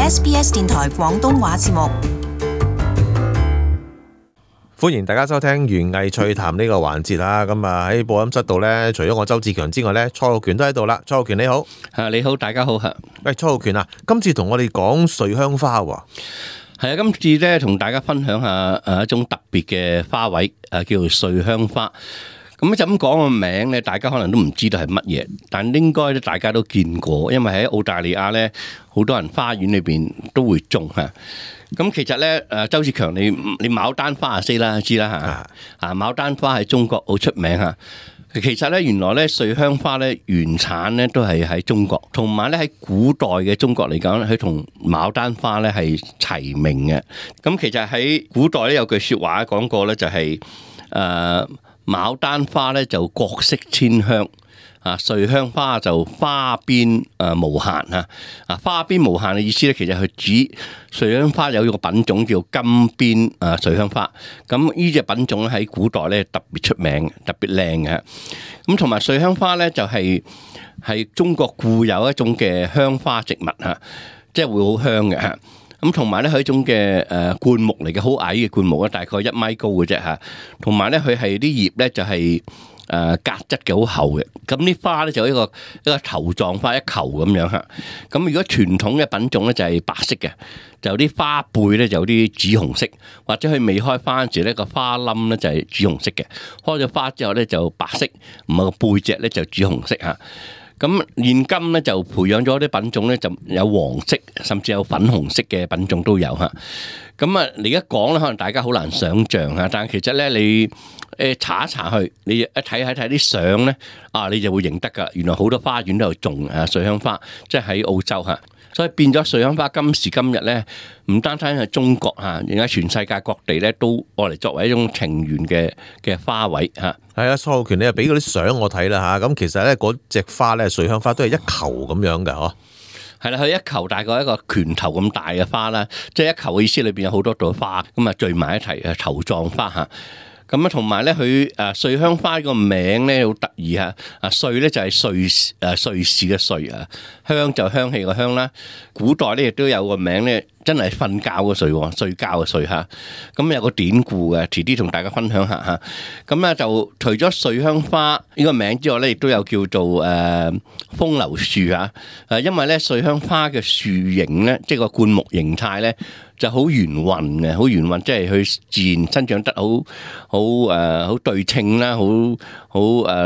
SBS 電台廣東話節目。歡迎大家收聽園藝趣談呢個環節啦。咁啊喺播音室度呢，除咗我周志強之外呢，蔡浩權都喺度啦。蔡浩權你好。你好，大家好。喂，蔡浩權啊，今次同我哋講瑞香花喎。係啊，今次咧同大家分享下一種特別嘅花卉，叫做瑞香花。咁就咁講個名咧，大家可能都唔知道係乜嘢，但應該咧大家都見過，因為喺澳大利亞咧，好多人花園裏邊都會種嚇。咁其實咧，周志強你牡丹花知啦嚇，牡丹花喺中國好出名嚇。其實咧，原來咧瑞香花咧原產咧都係喺中國，同埋咧喺古代嘅中國嚟講，佢同牡丹花咧係齊名嘅。咁其實喺古代咧有句説話講過咧，就係牡丹花咧就各色千香，瑞香花就花邊無限嚇。花邊無限嘅意思咧，其實係指瑞香花有一個品種叫金邊瑞香花。咁呢隻品種喺古代咧特別出名，特別靚嘅。咁同埋瑞香花咧就係中國固有一種嘅香花植物嚇，即係會好香嘅嚇。咁同埋咧，佢一種嘅灌木嚟嘅，好矮嘅灌木啊，大概1米高嘅啫嚇。同埋咧，佢係啲葉咧就係革質嘅，好厚嘅。咁啲花咧就一個頭狀花，一球咁樣嚇。咁如果傳統嘅品種咧就係白色嘅，就啲花背咧就有啲紫紅色，或者佢未開花嗰時咧個花冧咧就係紫紅色嘅。開咗花之後咧就白色，唔係個背脊咧就紫紅色嚇。咁現今咧就培養咗啲品種咧，就有黃色，甚至有粉紅色嘅品種都有嚇。咁啊，你而家講咧，可能大家好難想像嚇，但係其實咧，你查一查去，你一睇啲相咧，你就會認得㗎。原來好多花園都有種瑞香花，即係喺澳洲嚇。所以變咗瑞香花今時今日咧，唔單單係中國嚇，而家全世界各地咧都愛嚟作為一種情緣嘅花卉嚇。係啊，蔡浩權你又俾嗰啲相我睇啦嚇。咁其實咧嗰隻花咧，瑞香花都係一球咁樣嘅嗬。係啦，佢一球大概一個拳頭咁大嘅花啦，即係一球嘅意思裏邊有好多朵花咁啊聚埋一齊嘅球狀花嚇。咁啊，同埋咧，佢瑞香花個名咧好得意嚇。瑞咧就係瑞士嘅瑞啊，香就香氣個香啦。古代咧亦都有個名咧，真係瞓覺嘅睡，睡覺嘅睡嚇。咁有個典故嘅，遲啲同大家分享下嚇。咁咧就除咗瑞香花呢個名之外咧，亦都有叫做風流樹嚇。因為咧瑞香花嘅樹形咧，即係個灌木形態咧，就好圓潤嘅，好圓潤，即係佢自然生長得好對稱啦，好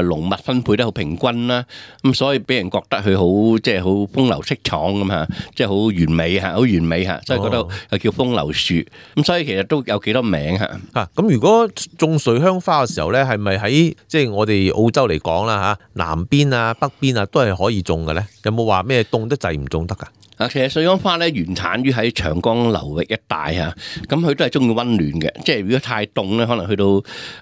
濃密分配得好平均啦，咁所以俾人覺得佢好即係好風流倜儻咁嚇，即係好完美嚇，好完美嚇，所以覺得又叫風流樹。咁所以其實都有幾多名嚇。咁如果種瑞香花嘅時候咧，係咪喺即係我哋澳洲嚟講啦嚇，南邊啊、北邊啊都係可以種嘅咧？有冇話咩凍得滯唔種得㗎？其實瑞香花咧原產於喺長江流域一帶嚇，咁佢都係中意溫暖嘅，即係如果太凍咧，可能去到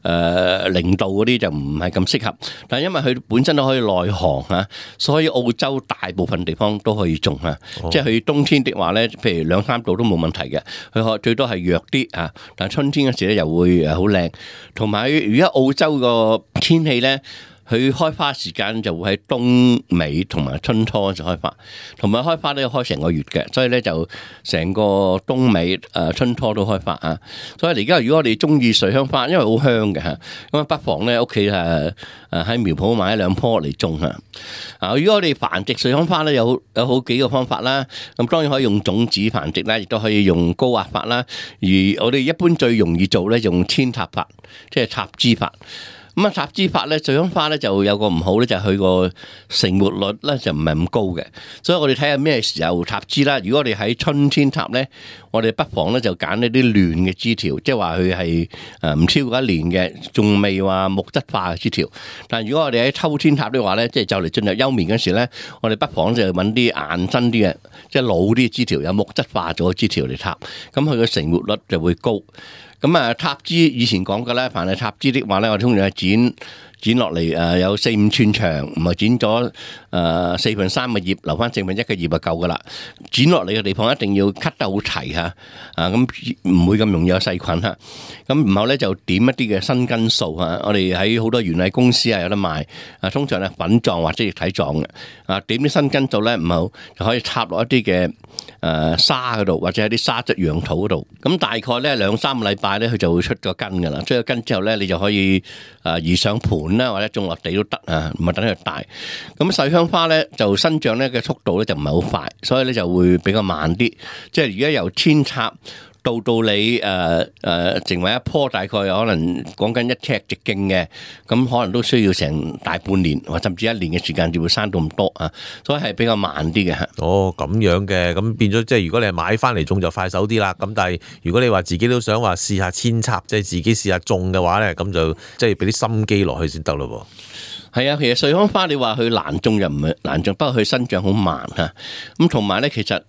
0度嗰啲就唔係咁適合。但係因為佢本身都可以耐寒嚇，所以澳洲大部分地方都可以種嚇。即係佢冬天的話咧，譬如2-3度都冇問題嘅，佢最多係弱啲嚇。但係春天嗰時咧又會好靚，同埋而家澳洲個天氣咧，佢開花時間就會喺冬尾同埋春初就開花，同埋開花都要開成個月嘅，所以咧就成個冬尾春初都開花啊！所以而家如果我哋中意瑞香花，因為好香嘅嚇，咁啊不妨咧屋企喺苗圃買1-2棵嚟種嚇。如果我哋繁殖瑞香花咧，有好幾個方法啦。咁當然可以用種子繁殖啦，亦都可以用高壓法啦。而我哋一般最容易做咧，用扦插法，即係插枝法。咁啊，插枝法咧，瑞香花咧就有個唔好咧，就係佢個成活率咧就唔係咁高嘅，所以我哋睇下咩時候插枝啦。如果我哋喺春天插咧，我哋不妨咧就揀一啲嫩嘅枝條，即係話佢係唔超過1年嘅，仲未話木質化嘅枝條。但係如果我哋喺秋天插的話咧，即係就嚟進入休眠嗰時咧，我哋不妨就揾啲硬身啲嘅，即係老啲枝條，有木質化咗嘅枝條嚟插，咁佢嘅成活率就會高。咁啊，插枝以前講嘅咧，凡係插枝的話咧，我哋通常係剪落嚟有4-5寸長，唔係剪咗3/4嘅葉，留翻1/4嘅葉就夠噶啦。剪落嚟嘅地方一定要 cut 得好齊嚇，咁唔會咁容易有細菌嚇。咁然後咧就點一啲嘅生根素嚇，我哋喺好多園藝公司有得賣，通常係粉狀或者液體狀嘅，點啲生根素咧，唔好就可以插落一啲嘅沙嗰度，或者喺啲沙質養土嗰度。咁大概咧2-3個禮拜咧，佢就會出咗根噶啦。出咗根之後咧，你就可以移上盤啦，或者種落地都得啊，唔係等佢大。咁水香花咧就生長咧嘅速度咧就唔係好快，所以咧就會比較慢啲。即係而家由扦插到你成為一棵大概可能講緊1尺直徑嘅，咁可能都需要成大半年或甚至1年嘅時間，就會生到咁多啊，所以係比較慢啲嘅。哦，咁樣嘅，咁變咗即係如果你係買翻嚟種就快手啲啦。咁但係如果你話自己都想話試下扦插，即係自己試下種嘅話咧，咁就即係俾啲心機落去先得咯。係啊，其實水香花你話佢難種又唔係難種，不過佢生長好慢嚇。咁同埋咧，其實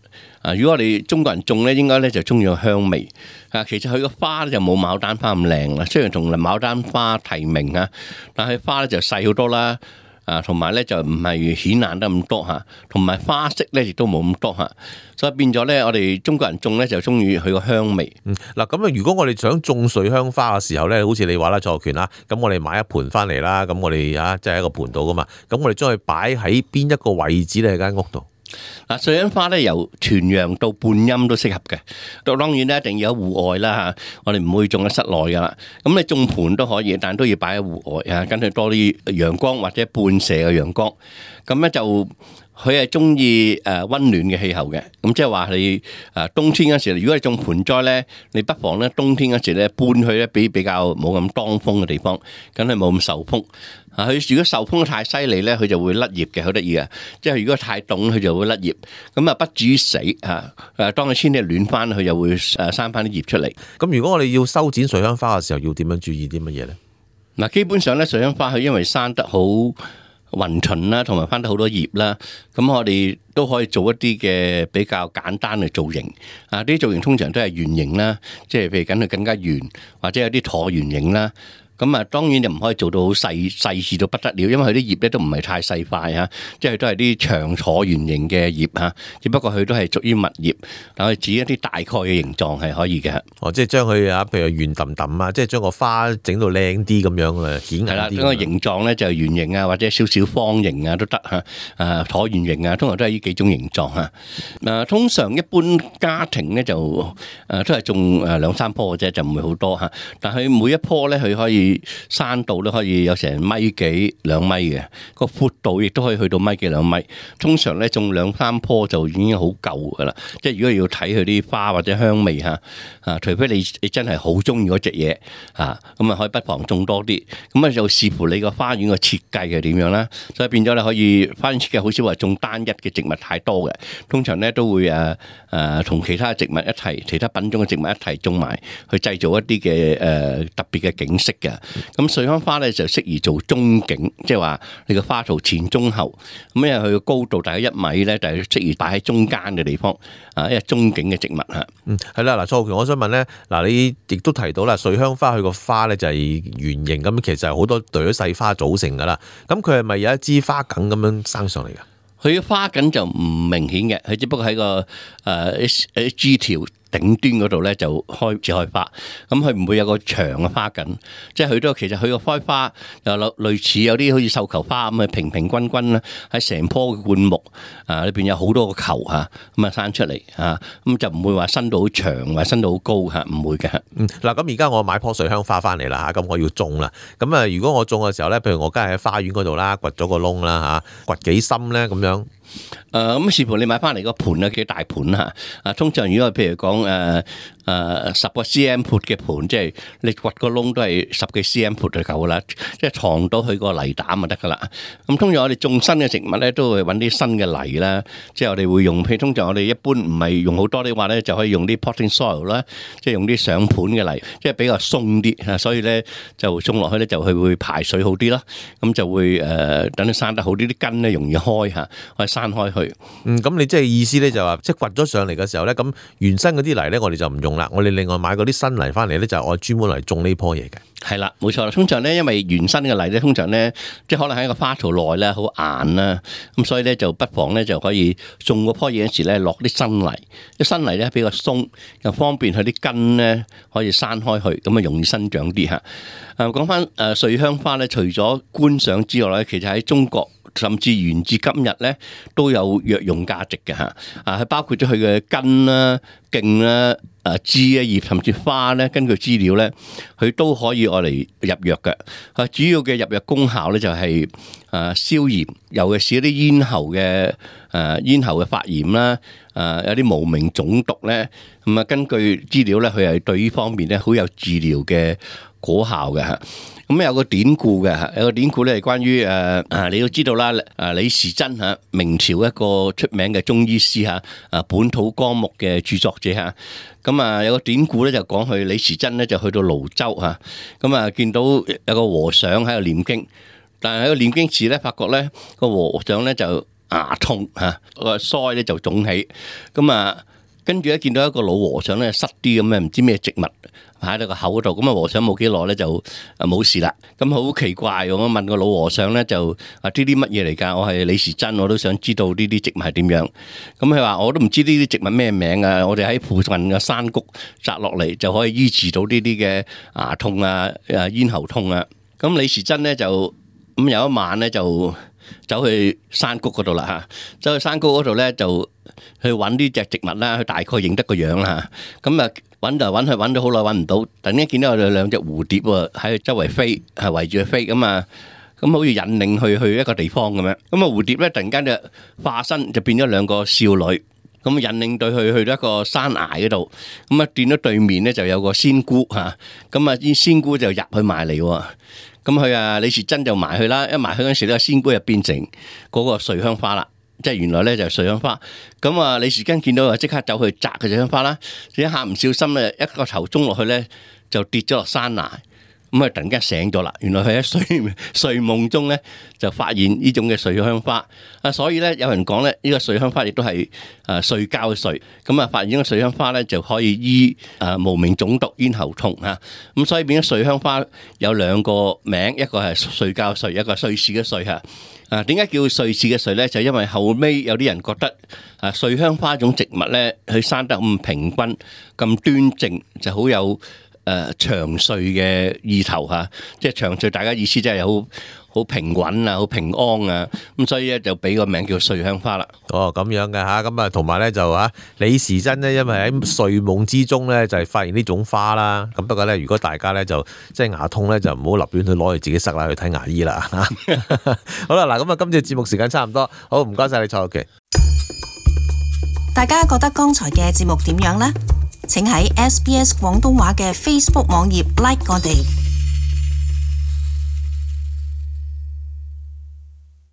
如果我哋中國人種咧，應該咧就中意個香味啊。其實佢個花咧就冇牡丹花咁靚啦，雖然同牡丹花提名啊，但係花咧就細好多啦。同埋咧就唔係顯眼得咁多嚇，同埋花色咧亦都冇咁多嚇，所以變咗咧我哋中國人種咧就中意佢個香味。嗱咁啊，如果我哋想種水香花嘅時候咧，好似你話啦，蔡學權啦，咁我哋買一盆翻嚟啦，咁我哋即係喺個盆度噶嘛，咁我哋將佢擺喺邊一個位置咧？喺間屋度。嗱，水香花咧由全陽到半陰都適合嘅，當然咧一定要喺戶外啦嚇，我哋唔會種喺室內噶啦。咁你種盆都可以，但都要擺喺戶外啊，跟佢多啲陽光或者半射嘅陽光。咁咧就佢係中意溫暖嘅氣候嘅，咁即係話你冬天嗰時，如果你種盆栽咧，你不妨咧冬天嗰時咧搬去咧比較冇咁當風嘅地方，咁佢冇咁受風。佢如果受風太犀利咧，佢就會甩葉嘅，好得意啊！即係如果太凍，佢就會甩葉，咁啊不至於死嚇。當佢天氣暖翻，佢就會生翻啲葉出嚟。咁如果我哋要修剪水香花嘅時候，要點樣注意啲乜嘢咧？嗱，基本上咧水香花佢因為生得好勻循啦，同埋翻得好多葉啦，咁我哋都可以做一啲嘅比較簡單嘅造型。啲造型通常都係圓形啦，即係譬如緊佢更加圓，或者有啲橢圓形啦。咁啊，當然就唔可以做到好細緻到不得了，因為佢啲葉咧都唔係太細塊嚇，即係都係啲長橢圓形嘅葉嚇，只不過佢都係屬於密葉，但係指一啲大概嘅形狀係可以嘅。哦，即係將佢譬如圓揼揼啊，即係將個花整到靚啲咁樣啊，顯眼啲。係啦，將個形狀咧就係圓形啊，或者少少方形啊都得嚇，橢圓形啊，通常都係呢幾種形狀嚇。通常一般家庭咧就都係種2-3棵嘅啫，就唔會好多嚇。但係每一棵咧佢可以生度都可以有成1.2米、2米嘅，個闊度亦都可以去到1.2米、2米。通常咧種2-3棵就已經好夠噶啦。即係如果要睇佢啲花或者香味嚇，除非你真係好中意嗰隻嘢嚇，咁啊可以不妨種多啲。咁啊就視乎你個花園個設計係點樣啦。所以變咗你可以花園設計好少話種單一嘅植物太多嘅，通常咧都會同其他植物一齊、其他品種嘅植物一齊種埋，去製造一啲嘅特別嘅景色嘅。咁水香花咧就適宜做中景，即係話你個花槽前中後，咁因為佢個高度大概1米咧，就係適宜擺喺中間嘅地方，因為中景嘅植物嚇。係啦，嗱，蔡學權，我想問咧，嗱，你亦都提到啦，水香花佢個花咧就係圓形咁，其實係好多朵細花組成噶啦。咁佢係咪有一支花梗咁樣生上嚟㗎？佢嘅花梗就唔明顯嘅，佢只不過喺個枝條頂端嗰度咧就開始開花，咁佢唔會有個長嘅花梗，即係佢都其實佢個開花又類似有啲好似繡球花咁啊，平平均均啦，喺成棵嘅灌木裏邊有好多個球嚇，咁啊生出嚟嚇，咁就唔會話伸到好長或伸到好高嚇，唔會嘅。嗱，咁而家我買棵水香花翻嚟啦嚇，咁我要種啦，咁啊如果我種嘅時候咧，譬如我梗係喺花園嗰度啦，掘咗個窿啦嚇，掘幾深咧咁樣？咁視乎你買翻嚟個盤啊幾大盤嚇，通常如果譬如講10個 cm 闊嘅盤，即係你掘個窿都係10幾 cm 闊就夠啦，即係藏到佢個泥膽就得噶啦。咁通常我哋種新嘅植物咧，都會揾啲新嘅泥啦，即係我哋會用，譬如通常我哋一般唔係用好多啲話咧，就可以用啲 potting soil 啦，即係用啲上盤嘅泥，即係比較鬆啲，所以咧就種落去咧就佢會排水好啲啦，咁就會等佢生得好啲，啲根咧容易開嚇，我哋散開去。咁你即係意思咧就話，即係掘咗上嚟嘅時候咧，咁原生嗰啲泥咧，我哋就唔用啦，我哋另外買嗰啲新泥翻嚟咧，就係我專門嚟種呢棵嘢嘅。係啦，冇錯啦。通常咧，因為原生嘅泥咧，通常咧，即係可能喺個花槽內咧好硬啦，咁所以咧就不妨咧就可以種嗰棵嘢嗰時咧落啲新泥，啲新泥咧比較鬆，又方便佢啲根咧可以生開去，咁啊容易生長啲嚇。講翻瑞香花咧，除咗觀賞之外咧，其實喺中國甚至沿至今日咧都有藥用價值嘅嚇。係包括咗佢嘅根啦、莖啦、枝啊、葉甚至花咧，根據資料咧，佢都可以愛嚟入藥嘅。主要嘅入藥功效咧就係消炎，尤其是一啲咽喉嘅發炎啦，有啲無名腫毒咧，咁啊根據資料咧，佢係對呢方面咧好有治療嘅果效嘅嚇。咁有個典故嘅，有個典故咧係關於你都知道啦，李時珍嚇，明朝一個出名嘅中醫師嚇，本土綱目嘅著作者嚇。咁有個典故咧就講佢李時珍咧就去到瀘州嚇，咁見到有個和尚喺度念經，但係喺度念經時咧，發覺咧個和尚咧就牙痛嚇，個腮咧就腫起，咁跟住咧見到一個老和尚咧塞啲咁嘅唔知咩植物喺到個口度，咁和尚冇幾耐咧就冇事啦。咁好奇怪，我問個老和尚咧就呢啲乜嘢嚟㗎？我係李時珍，我都想知道呢啲植物係點樣。咁佢話我都唔知呢啲植物咩名啊，我哋喺附近嘅山谷摘落嚟就可以醫治到呢啲嘅牙痛啊、咽喉痛啊。咁李時珍咧就咁有一晚咧就走去山谷嗰度啦嚇，走去山谷嗰度咧就去揾呢隻植物啦，佢大概認得個樣啦嚇。咁揾就揾，揾咗好耐揾唔到，突然間見到有兩隻蝴蝶喎喺周圍飛，係圍住佢飛咁好似引領去一個地方咁樣。咁蝴蝶咧突然間就化身就變咗兩個少女，咁引領對佢去到一個山崖嗰度，見到對面咧就有個仙姑嚇，啲仙姑就入去埋嚟喎。咁佢李時珍就埋去啦，一埋去嗰時咧，仙姑就變成嗰個瑞香花啦，即係原來咧就係瑞香花。咁李時珍見到即刻走去摘佢瑞香花啦，一下唔小心咧，一個頭中落去咧就跌咗落山崖。咁突然間醒咗啦，原來佢喺睡夢中咧就發現呢種嘅瑞香花。所以咧有人講咧呢個瑞香花亦都係睡覺嘅睡。咁發現呢個瑞香花咧就可以醫無名腫毒、咽喉痛嚇。咁所以變咗瑞香花有兩個名，一個係睡覺睡，一個係瑞士嘅瑞嚇。點解叫瑞士嘅瑞咧？就因為後尾有啲人覺得瑞香花種植物咧，佢生得咁平均、咁端正，就好有長歲嘅意頭嚇，即係長歲，大家意思即係好平穩啊，好平安啊，咁所以咧就俾個名叫瑞香花啦。哦，咁樣嘅嚇，咁同埋咧就李時珍咧，因為喺睡夢之中咧就係發現呢種花啦。咁不過咧，如果大家咧就即係牙痛咧，就唔好立亂去攞去自己塞啦，去睇牙醫啦嚇。好啦，嗱咁今次節目時間差唔多，好唔該晒你蔡玉琪。大家覺得剛才嘅節目點樣呢？請喺SBS 廣東話嘅 Facebook 網頁 like 我哋。